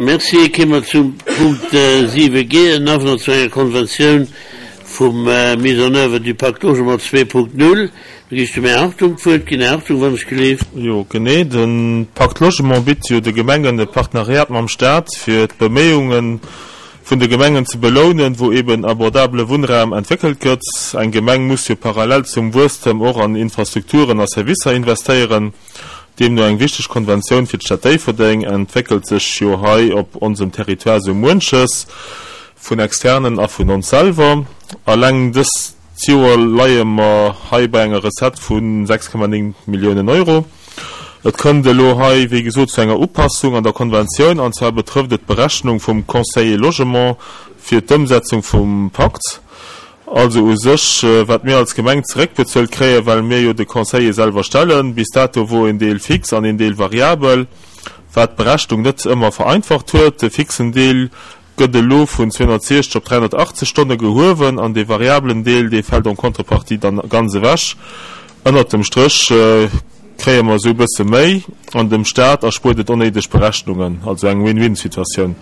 Merci. Kéime mer zum Punkt 7 G, en Avenant zu enger Konventioun vum Mise en oeuvre du Pacte Logement 2.0. Do gi ech dem Här Hartung d'Wuert ginn. Här Hartung, wann ech geleeft. Jo, genee. De Pacte Logement bitt jo de Gemengen e Partenariat mam Staat, fir d'Beméiunge vun de Gemengen ze belounen, wou eben abordabele Wunnraum entwéckelt gëtt. Eng Gemeng muss jo parallel zum Wuesstem och an Infrastrukturen a Servicer investéieren. Deemno eng wichteg Konventioun fir d'Stad Déifferdeng entwéckelt sech jo hei op onsem Territoire sou muenches, vun Externen a vun ons selwer. Alleng dëst Joer leie mer hei bei enger Recette vu 6,9 Milliounen Euro. Et kënnt elo hei, wéi gesot, zu enger Upassung an der Konventioun, an zwar betrëfft et d'Berechnung vum Conseiller Logement fir d'Ëmsetzung vum Pakt. Also u sech, wat mir als Gemeng zeréckbezuelt kréien, well mir jo de Conseiller selwer stellen. Bis dato wor een Deel fix an een Deel variabel, wat d'Berechnung net ëmmer vereinfacht huet. De fixen Deel gëtt elo vun 260 op 380 Stonne gehuewen an dee variabelen Deel, dee fält en contrepartie dann ganz ewech. Ënnert dem Stréch kréie mer esou e bësse méi an dem Staat erspuert et onnéideg Berechnungen, also eng Win-win-Situatioun.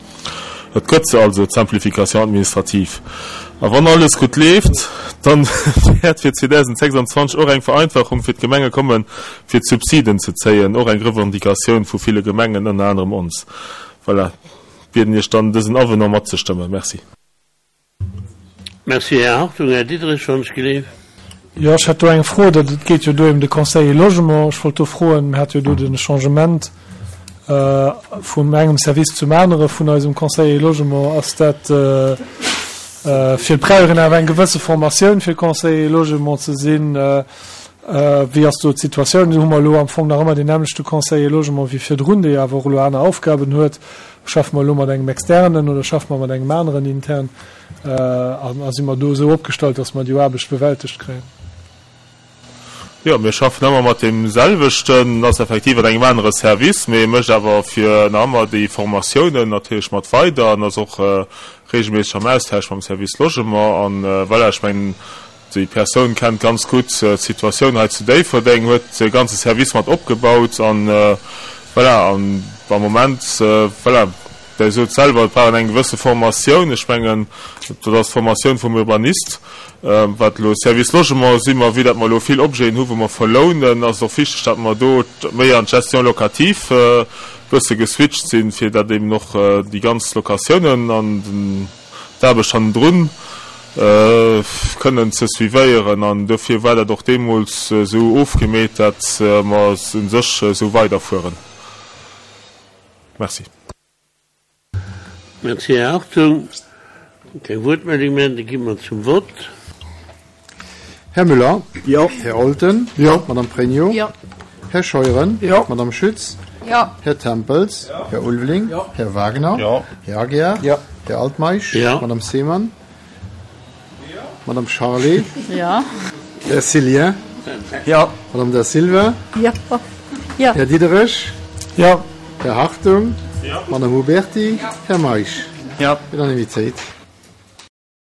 Et gëtt se also, d'Simplification administrative. A wann alles gutt leeft, dann wäert fir 2026 och eng Vereinfachung fir d'Gemenge kommen, fir d'Subsiden ze zéien, och eng Revendicatioun vu ville Gemengen, ënner anerem ons. Voilà, bieden Iech dann, dësen Avenant matzestëmmen. Merci. Merci, Här Hartung. Här Diderich, wann ech geleef. Jo, ech hätt do eng Fro. Dat, et geet jo do ém de Conseiller Logement. Ech wollt do froen, mir hate jo do de Changement vum engem Service zum anere vun eisem Conseiller Logement. Ass dat fir, et brauch een awer eng gewësse Formatioun, fir Conseiller Logement ze sinn. Wéi ass do d'Situatioun? Hu mer elo am Fong nach ëmmer deen nämmlechte Conseiller Logement wéi virdrun, dee jo awer och elo aner Aufgaben huet? Schaffe mer elo mat engem externen oder schaffe mer mat engem aneren intern? A si mer do esou opgestallt, datt mer déi Aarbecht bewältegt kréien? Jo, mir schaffen ëmmer mat deem selwechten. En ass effektiv an engem anere Service, mee e mécht awer fir nach ëmmer déi Formatiounen natierlech mat weider an ass och reegelméisseg am Austausch mam Service Logement. An voilà, ech mengen, Déi Persoun kennt ganz gutt d'Situatioun hei zu Déifferdeng, huet de ganze Service mat opgebaut an voilà. An am Moment, voilà, Der sot selwer, et brauch een eng gewësse Formatioun. Ech mengen, dat ass d'Formatioun vum Urbanist. Wat elo Service Logement si mer, vue dat mer elo vill Objeten hu wou mer verlounen, ass et och wichteg, datt mer do méi an d'Gestion locative e bësse geswitcht sinn, fir datt eben och déi ganz Locatiounen an den, d'Aarbecht hannendrun kënnen ze suivéieren an dofir war dat och deemools esou ofgemeet, dat mer u sech esou weiderfueren. Merci. Merci, Här Hartung. Keng Wuertmeldung méi, da gi mer zum Vott. Här Müller? Jo. Här Olten? Jo. Madame Pregno? Jo. Här Scheuren? Jo. Madame Schütz? Jo. Här Tempels? Jo. Här Ulveling? Jo. Här Wagner? Jo. Här Aguiar? Jo. Här Altmeisch? Jo. Madame Seemann? Madame Charlé? Jo. Här Cillien? Jo. Madame Da Silva? Jo. Jo. Här Diderich? Jo. Här Hartung? Jo. Madame Huberty? Jo. Här Meisch? Jo. Unanimitéit.